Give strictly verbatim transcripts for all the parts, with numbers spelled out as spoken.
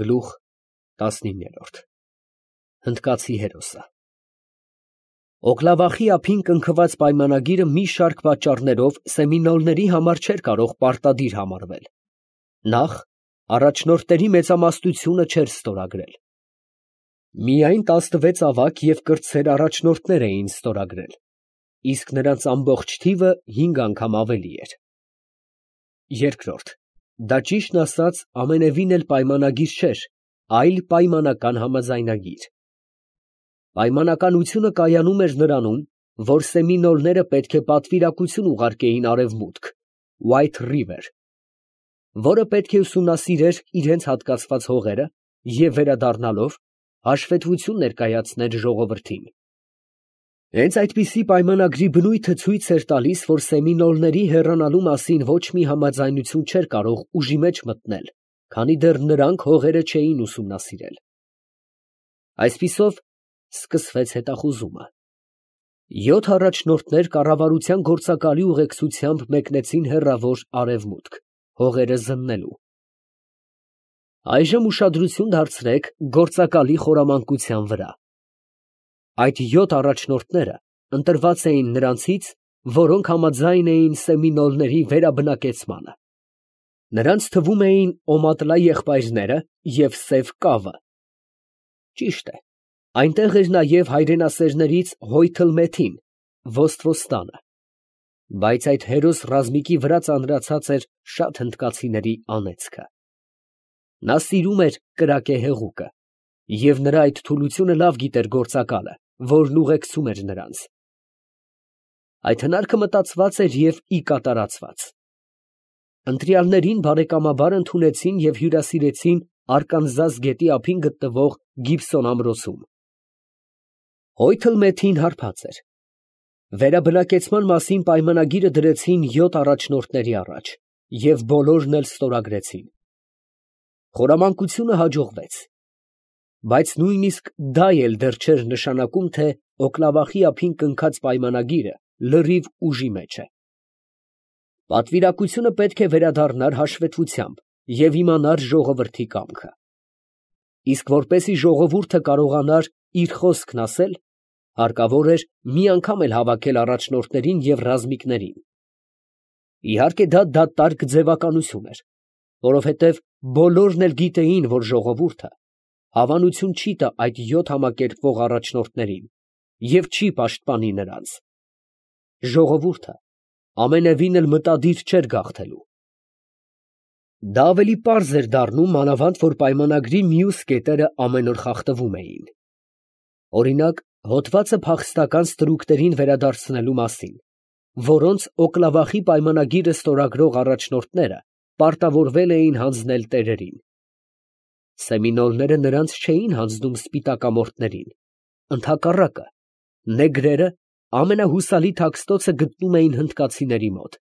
Գլուխ տասնիններորդ Հնդկացի հերոսը Օկլավախի ափին կնքված պայմանագիրը մի շարք պատճառներով սեմինոլների համար չէր կարող պարտադիր համարվել. նախ, առաջնորդների մեծամասնությունը չէր ստորագրել. միայն տասնվեց ավագ և կրտսեր առաջնորդներ էին ստորագրել, իսկ նրանց ամբողջ թիվը հինգ անգամ ավելի էր. երկրորդ, դա ճիշտն ասած ամենևին էլ պայմանագիր չէր, այլ պայմանական համաձայնագիր. Պայմանականությունը կայանում էր նրանում, որ սեմինոլները պետք է պատվիրակություն ուղարկեին արևմուտք, White River, որը պետք է ուսումնասիրեր իրենց հատկացված հողերը և վերադառնալով հաշվետվություն ներկայացներ ժողովրդին. հենց այդպիսի պայմանագրի բնույթը ցույց էր տալիս, որ սեմինոլների հեռանալու մասին ոչ մի համաձայնություն չէր կարող ուժի մեջ մտնել, քանի դեռ նրանք հողերը չէին ուսումնասիրել. Այսպիսով սկսվեց հետախուզումը. յոթ առաջնորդներ կառավարության գործակալի ուղեկցությամբ մեկնեցին հեռավոր արևմուտք, հողերը զննելու. Այժմ ուշադրություն դարձրեք գործակալի խորամանկության վրա. այդ յոթ առաջնորդները ընտրված էին նրանցից, որոնք համաձայն էին սեմինոլների վերաբնակեցմանը. նրանց թվում էին Օմատլա եղբայրները և Սև Կավը. ճիշտ է, այնտեղ էր նաև հայրենասերներից Հոյթլմեթին, Ոստվոստանը, բայց այդ հերոս ռազմիկի վրա ծանրացած էր շատ հնդկացիների անեծքը. նա սիրում էր կրակե հեղուկը, և նրա այդ թուլությունը լավ գիտեր գործակալը, որն ուղեկցում էր նրանց. այդ հնարքը մտածված էր և ի կատարածված. ընտրյալներին բարեկամաբար ընդունեցին և հյուրասիրեցին Արկանզաս գետի ափին գտնվող Գիբսոն ամրոցում. Հոյթլմեթին հարբած էր. վերաբնակեցման մասին պայմանագիրը դրեցին յոթ առաջնորդների առաջ և բոլորն էլ ստորագրեցին. խորամանկությունը հաջողվեց, բայց նույնիսկ դա էլ դեռ չէր նշանակում, թե Օկլավախի ափին կնքած պայմանագիրը լրիվ ուժի մեջ է. պատվիրակությունը պետք է վերադառնար հաշվետվությամբ և իմանար ժողովրդի կամքը. իսկ որպեսզի ժողովուրդը կարողանար իր խոսքն ասել, հարկավոր էր մի անգամ էլ հավաքել առաջնորդներին և ռազմիկներին. իհարկե դա դատարկ ձևականություն էր, որովհետև բոլորն էլ գիտեին, որ ժողովուրդը հավանություն չի տա այդ յոթ համակերպվող առաջնորդներին և չի պաշտպանի նրանց. ժողովուրդը ամենևին էլ մտադիր չէր գաղթելու. դա ավելի պարզ էր դառնում, մանավանդ որ պայմանագրի մյուս կետերը ամեն օր խախտվում էին. օրինակ, հոդվածը փախստական ստրուկներին վերադարձնելու մասին, որոնց Օկլավախի պայմանագիրը ստորագրող առաջնորդները պարտավորվել էին հանձնել տերերին. սեմինոլները նրանց չէին հանձնում սպիտակամորթներին, ընդհակառակը, նեգրերը ամենահուսալի թաքստոցը գտնում էին հնդկացիների մոտ.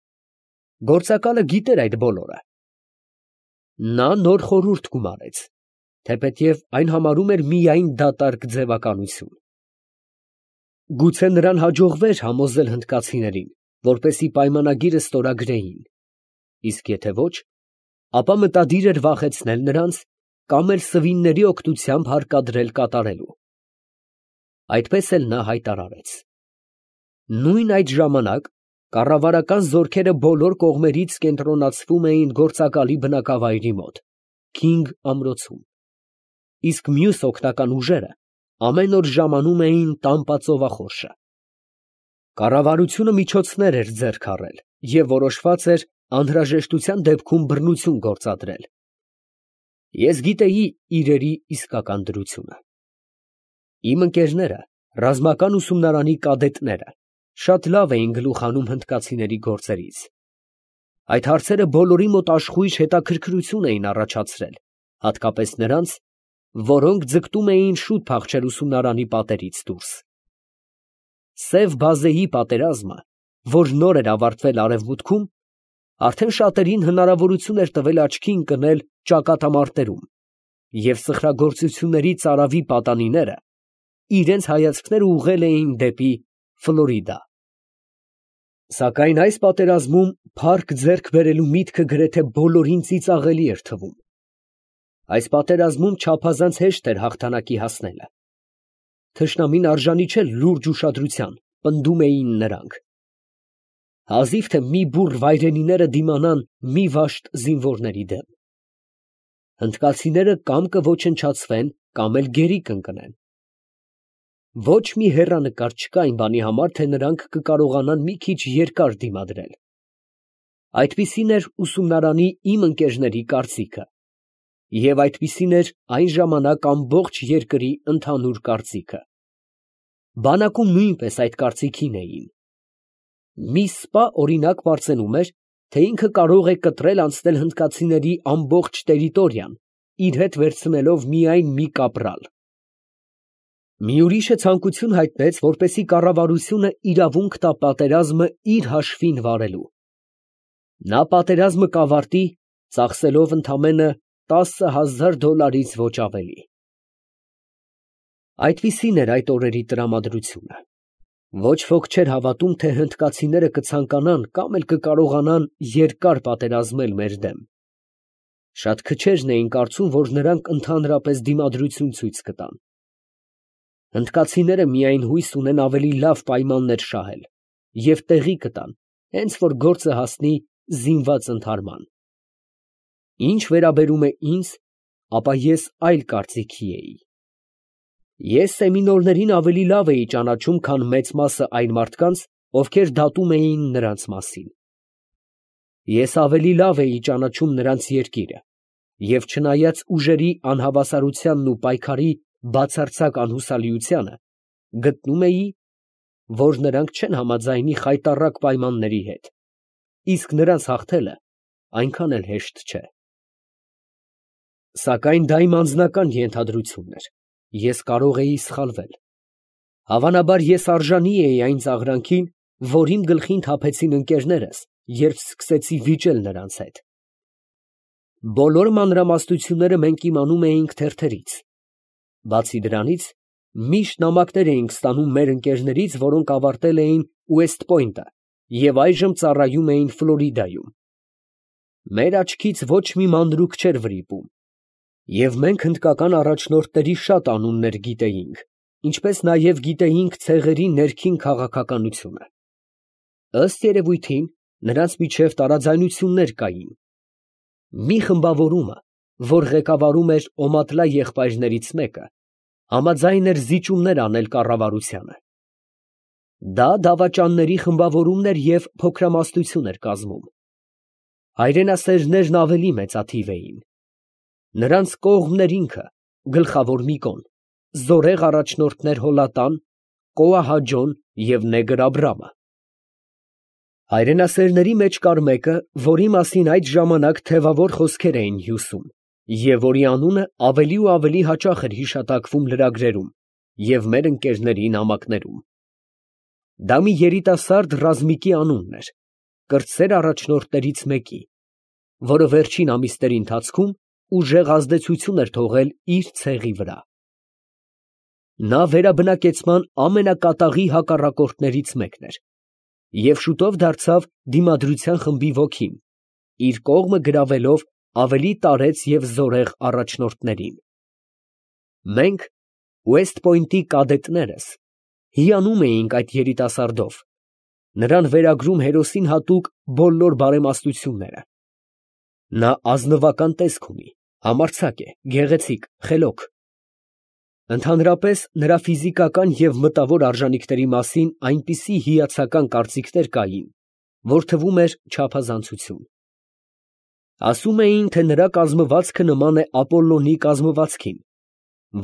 գործակալը գիտեր այդ բոլորը. նա նոր խորհուրդ գումարեց, թեպետև այն համարում էր միայն դատարկ ձևականություն. գուցե նրան հաջողվեր համոզել հնդկացիներին, որպեսզի պայմանագիրը ստորագրեին, իսկ եթե ոչ, ապա մտադիր էր վախեցնել նրանց կամ էլ սվինների օգնությամբ հարկադրել կատարելու. այդպես էլ նա հայտարարեց. նույն այդ ժամանակ կառավարական զորքերը բոլոր կողմերից կենտրոնացվում էին գործակալի բնակավայրի մոտ, Քինգ ամրոցում, իսկ մյուս օգնական ուժերը ամեն օր ժամանում էին Տամպա ծովախորշը. կառավարությունը միջոցներ էր ձեռք առել և որոշված էր անհրաժեշտության դեպքում բռնություն գործադրել. ես գիտեի իրերի իսկական դրությունը. իմ ընկերները, ռազմական ուսումնարանի կադետները, շատ լավ էին գլուխ հանում հնդկացիների գործերից. այդ հարցերը բոլորի մոտ աշխույժ հետաքրքրություն էին առաջացրել, հատկապես նրանց, որոնք ձգտում էին շուտ փախչել ուսումնարանի պատերից դուրս. Սև բազեի պատերազմը, որ նոր էր ավարտվել արևմուտքում, արդեն շատերին հնարավորություն էր տվել աչքի ընկնել ճակատամարտերում, և սխրագործությունների ծարավի պատանիները իրենց հայացքները ուղղել էին դեպի Ֆլորիդա. սակայն այս պատերազմում փառք ձեռք բերելու միտքը գրեթե բոլորին ծիծաղելի էր թվում. Այս պատերազմում չափազանց հեշտ էր հաղթանակի հասնելը։ Թշնամին արժանի չէ լուրջ ուշադրության, պնդում էին նրանք։ Հազիվ թե մի բուռ վայրենիները դիմանան մի վաշտ զինվորների դեմ։ Հնդկացիները կամ կոչնչացվեն, կամ էլ գերի կընկնեն։ Ոչ մի հեռանկար չկա այն բանի համար, թե նրանք կկարողանան մի քիչ երկար դիմադրել։ Այդպիսին էր ուսումնարանի իմ ընկերների կարծիքը, և այդպիսին էր այն ժամանակ ամբողջ երկրի ընդհանուր կարծիքը։ Բանակում նույնպես այդ կարծիքին էին։ Մի սպա օրինակ պարծենում էր, թե ինքը կարող է կտրել անցնել հնդկացիների ամբողջ տերիտորիան, իր հետ վերցնելով միայն մի կապրալ։ Մի ուրիշը ցանկություն հայտնեց, որպեսզի կառավարությունը իրավունք տա պատերազմը իր հաշվին վարելու։ Նա պատերազմը կավարտի, ծախսելով ընդամենը տասը հազար դոլարից ոչ ավելի։ Այդպիսին էր այդ օրերի տրամադրությունը։ Ոչ ոք չէր հավատում, թե հնդկացիները կցանկանան կամ էլ կկարողանան երկար պատերազմել մեր դեմ։ Շատ քչերն էին կարծում, որ նրանք ընդհանրապես դիմադրություն ցույց կտան։ Հնդկացիները միայն հույս ունեն ավելի լավ պայմաններ շահել և տեղի կտան, հենց որ գործը հասնի զինված ընդհարման։ Ինչ վերաբերում է ինձ, ապա ես այլ կարծիքի էի։ Ես սեմինորներին ավելի լավ էի ճանաչում, քան մեծ մասը այն մարդկանց, ովքեր դատում էին նրանց մասին։ Ես ավելի լավ էի ճանաչում նրանց երկիրը, և չնայած ուժերի անհավասարությանն ու պայքարի բացարձակ անհուսալիությանը, գտնում էի, որ նրանք չեն համաձայնի խայտառակ պայմանների հետ, իսկ նրանց հաղթելը այնքան էլ հեշտ չէ։ Սակայն դա իմ անձնական ենթադրությունն էր, ես կարող էի սխալվել։ Հավանաբար ես արժանի էի այն ծաղրանքին, որ իմ գլխին թափեցին ընկերներս, երբ սկսեցի վիճել նրանց հետ։ Բոլոր մանրամասնությունները մենք իմանում էինք թերթերից։ Բացի դրանից, միշտ նամակներ էինք ստանում մեր ընկերներից, որոնք ավարտել էին Ուեսթ Պոյնտը և այժմ ծառայում էին Ֆլորիդայում։ Մեր աչքից ոչ մի մանրուք չէր վրիպում, և մենք հնդկական առաջնորդների շատ անուններ գիտեինք, ինչպես նաև գիտեինք ցեղերի ներքին քաղաքականությունը։ Ըստ երևույթին, նրանց միջև տարաձայնություններ կային։ Մի խմբավորումը, որ ղեկավարում էր Օմատլա եղբայրներից մեկը, համաձայն էր զիջումներ անել կառավարությանը։ Դա դավաճանների խմբավորումն էր և փոքրամասնություն էր կազմում։ Հայրենասերներն ավելի մեծաթիվ էին։ Նրանց կողմն էր ինքը, գլխավոր Միկոն, զորեղ առաջնորդներ Հոլատան, Կոահաջոն և Նեգր Աբրամը։ Հայրենասերների մեջ կար մեկը, որի մասին այդ ժամանակ թևավոր խոսքեր էին հյուսում, և որի անունը ավելի ու ավելի հաճախ էր հիշատակվում լրագրերում և մեր ընկերների նամակներում։ Դա մի երիտասարդ ռազմիկի անունն էր, կրտսեր առաջնորդներից մեկի, որը վերջին ամիսների ընթացքում ուժեղ ազդեցություն էր թողել իր ցեղի վրա։ Նա վերաբնակեցման ամենակատաղի հակառակորդներից մեկն էր և շուտով դարձավ դիմադրության խմբի ոգին, իր կողմը գրավելով ավելի տարեց և զորեղ առաջնորդներին։ Մենք, Ուեսթ Պոյնտի կադետներս, հիանում էինք այդ երիտասարդով, նրան վերագրում հերոսին հատուկ բոլոր բարեմաստությունները։ Նա ազնվական տեսք ունի, համարձակ է, գեղեցիկ, խելոք։ Ընդհանրապես նրա ֆիզիկական և մտավոր արժանիքների մասին այնպիսի հիացական կարծիքներ կային, որ թվում էր չափազանցություն։ Ասում էին, թե նրա կազմվածքը նման է Ապոլլոնի կազմվածքին,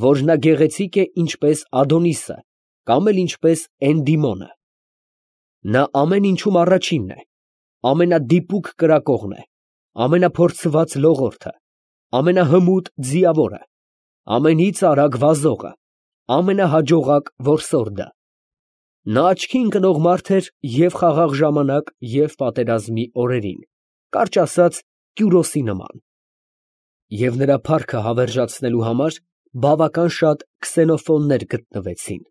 որ նա գեղեցիկ է ինչպես Ադոնիսը կամ էլ ինչպես Էնդիմոնը։ Նա ամեն ինչում առաջինն է, ամենադիպուկ կրակողն է, ամենափորձված լողորդը, ամենահմուտ ձիավորը, ամենից արագ վազողը, ամենահաջողակ որսորդը։ Նա աչքի ընկնող մարդ էր և խաղաղ ժամանակ, և պատերազմի օրերին, կարճ ասած, Կյուրոսի նման։ Եվ նրա փառքը հավերժացնելու համար բավական շատ քսենոֆոնտներ գտնվեցին։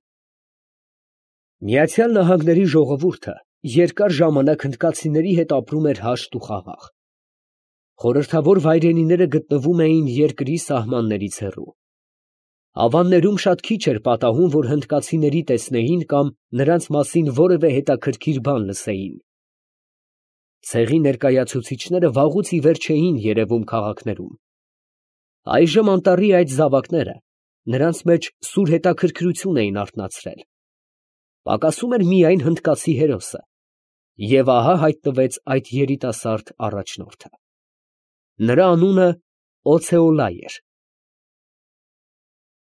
Միացյալ Նահանգների ժողովուրդը երկար ժամանակ հնդկացիների հետ ապրում էր հաշտ ու խաղաղ։ Խորհրդավոր վայրենիները գտնվում էին երկրի սահմաններից հեռու։ Ավաններում շատ քիչ էր պատահում, որ հնդկացիների տեսնեին կամ նրանց մասին որևէ հետաքրքիր բան լսեին։ Ցեղի ներկայացուցիչները վաղուց ի վեր չէին երևում քաղաքներում։ Այժմ անտառի այդ զավակները նրանց մեջ սուր հետաքրքրություն էին արթնացրել։ Պակասում էր միայն հնդկացի հերոսը, և ահա հայտնվեց այդ երիտասարդ առաջնորդը։ Նրա անունը Օցեոլա էր։